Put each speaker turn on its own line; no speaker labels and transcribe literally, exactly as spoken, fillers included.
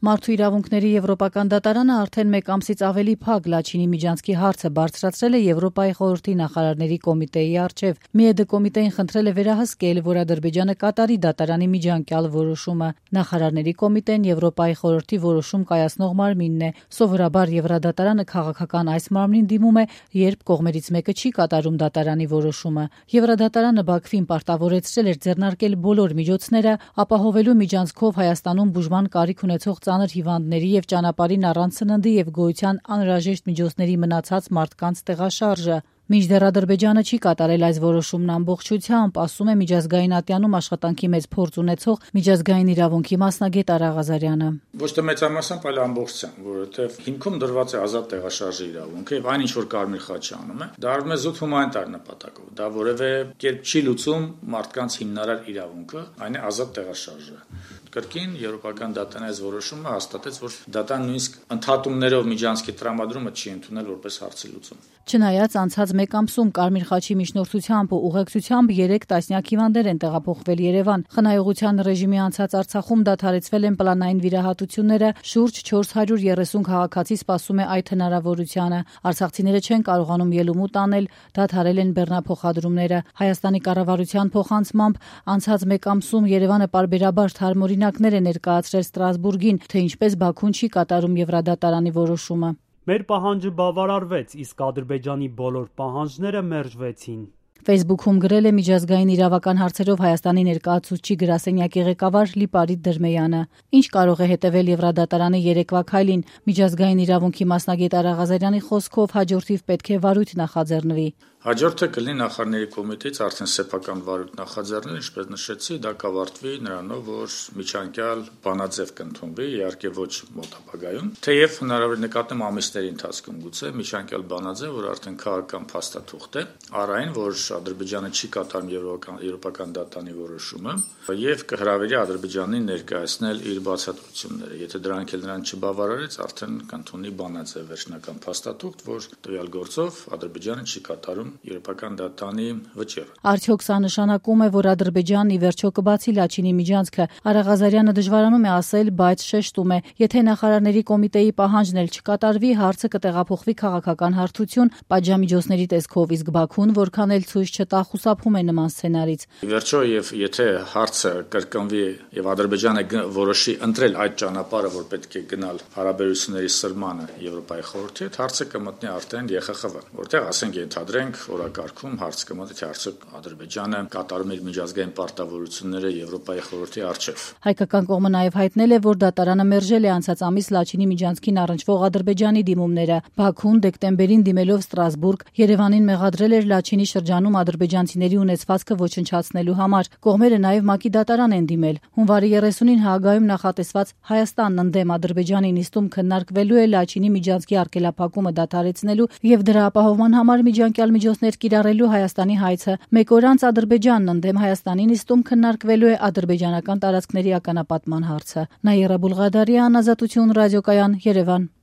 Մարդու իրավունքների եվրոպական դատարանը արդեն մեկ ամսից ավելի փակ Լաչինի Միջանցքի հարցը բարձրացրել է Եվրոպայի խորհրդի նախարարների կոմիտեի առջև։ ՄԻԵԴ կոմիտեին խնդրել է վերահսկել, որ Ադրբեջանը կատարի դատարանի միջանկյալ որոշումը։ Նախարարների կոմիտեն Եվրոպայի խորհրդի որոշում կայացնող մարմինն է։ Սովորաբար Եվրադատարանը քաղաքական այս մարմնին դիմում է, երբ կողմերից մեկը չի կատարում դատարանի որոշումը։ Եվրադատարանը Բաքվին պարտավորեցրել էր ձեռնարկել բոլոր միջոցները, ապահովելու միջանցքով Հայաստանում բուժման կարիք ունեցող ծանր հիվանդների եւ ճանապարհին առանց սննդի եւ գոյության անհրաժեշտ միջոցների մնացած մարդկանց տեղաշարժը։ Մինչդեռ Ադրբեջանը չի կատարել այս որոշումն ամբողջությամբ, ասում է միջազգային ատյանում աշխատանքի մեծ փորձ ունեցող միջազգային իրավունքի մասնագետ Արա Ղազարյանը։
Ոչ թե մեծամասամբ, այլ ամբողջությամբ, որովհետեւ հիմքում դրված է ազատ տեղաշարժի իրավունքը եւ այն ինչ որ Կարմիր խաչը անում է, դա արվում է զուտ հումանիտար նպատակով։ Դա որևէ կերպ չի լուծում մարդկանց հիմնարար իրավունքը, այն է ազատ տեղաշարժը։ Կրկին եվրոպական դատարանի այս որոշումը հաստատեց, որ դատարան նույնիսկ ընդհատումներով միջանցքի տրամադրումը չի ընդունել որպես հարցի լուծում։
Չնայած անցած մեկ ամսում Կարմիր խաչի միջնորդությամբ ու ուղեկցությամբ երեք տասնյակ հիվանդներ են տեղափոխվել Երևան։ Խնայողության ռեժիմի անցած Արցախում դադարեցվել են պլանային վիրահատությունները, շուրջ չորս հարյուր երեսուն քաղաքացի սպասում է այդ հնարավորությանը։ Արցախցիները չեն կարողանում ելումուտ անել, դադարել են բեռնափոխադրումները։ Հայաստանի կառավարության փոխանցմամբ անցած մեկ ամսում Երևանը պարբերաբար թարմօրինակներ է ներկայացրել Ստրասբուրգին, թե ինչպես Բաքուն չի կատարում Եվրադատարանի որոշումը։
Մեր պահանջը բավարարվեց, իսկ Ադրբեջանի բոլոր պահանջները մերժվեցին։
Facebook-ում գրել է միջազգային իրավական հարցերով Հայաստանի ներկայացուցչի գրասենյակի ղեկավար Լիպարիտ Դրմեյանը։ Ինչ կարող է հետևել Եվրադատարանի երեկվա քայլին։ Միջազգային իրավունքի մասնագետ Արա Ղազարյանի խոսքով հաջորդիվ պետք է վարույթ նախաձեռնվի։
Հաջորդը կլինի նախարարների կոմիտեից արդեն սեփական վարույթ նախաձեռնել, ինչպես նշեցի, դա կավարտվի նրանով, որ միջանկյալ բանաձև կընդունվի, իհարկե ոչ մոտ ապագայում, թեև հնարավոր նկատեմ ամիսների ընթացքում գուցե միջանկյալ բանաձև, որ արդեն քաղաքական փաստաթուղթ է, առ այն, որ Ադրբեջանը չի կատարում եվրոպական դատարանի որոշումը եւ կհրավիրի Ադրբեջանին ներկայացնել իր բացատրությունները։ Եթե դրանք էլ նրան չբավարարեց, արդեն կընդունի բանաձև վերջնական փաստաթուղթ, որ տվյալ գործով Ադրբեջանը չի կատարում եվրոպական դատարանի վճիռը։
Արդյոք սա նշանակում է, որ Ադրբեջանն ի վերջո կբացի Լաչինի միջանցքը։ Արա Ղազարյանը դժվարանում է ասել, բայց շեշտում է, եթե նախարարների կոմիտեի պահանջն էլ չկատարվի, հարցը կտեղափոխվի քաղաքական հարթություն պատժամիջոցների տեսքով, իսկ Բաքուն որքան էլ ցույց չտա, խուսափում է նման սցենարից։
Ի վերջո, եւ եթե հարցը կրկնվի եւ Ադրբեջանը որոշի ընտրել այդ ճանապարհը, որ պետք է գնալ հարաբերությունների սրմանը Եվրոպայի խորհրդի հետ, հարցը կմտնի արդեն Ե Խ Խ V, որտեղ ասենք ենթադրենք օրակարգում հարց կմտնի, թե արդյոք Ադրբեջանը կատարում իր միջազգային պարտավորությունները Եվրոպայի խորհրդի առջև։
Հայկական կողմը նաև հայտնել է, որ դատարանը մերժել է անցած ամիս Լաչինի միջանցքին առնչվող Ադրբեջանի դիմումները։ Բաքուն դեկտեմբերին դիմելով Ստրասբուրգ Երևանին մեղադրել էր Լաչինի շրջանում ադրբեջանցիների ունեցվածքը ոչնչացնելու համար։ Կողմերը նաև ՄԱԿ-ի դատարան են դիմել։ Հունվարի երեսունին Հաագայում նախատեսված Հայաստանն ընդդեմ Ադրբեջանի նիստում քննարկվելու է Լաչինի միջանցքի արգելափակումը դադարեցնելու եւ դրա ապահովման համար միջանկյալ միջոցներ կիրառելու Հայաստանի հայցը։ Մեկ օր անց Ադրբեջանն ընդդեմ Հայաստանի նիստում քննարկվելու է ադրբեջանական տարածքների ականապատման հարցը։ Նաիրա Բուլղադարյան, Ազատություն ռադիոկայան, Երևան։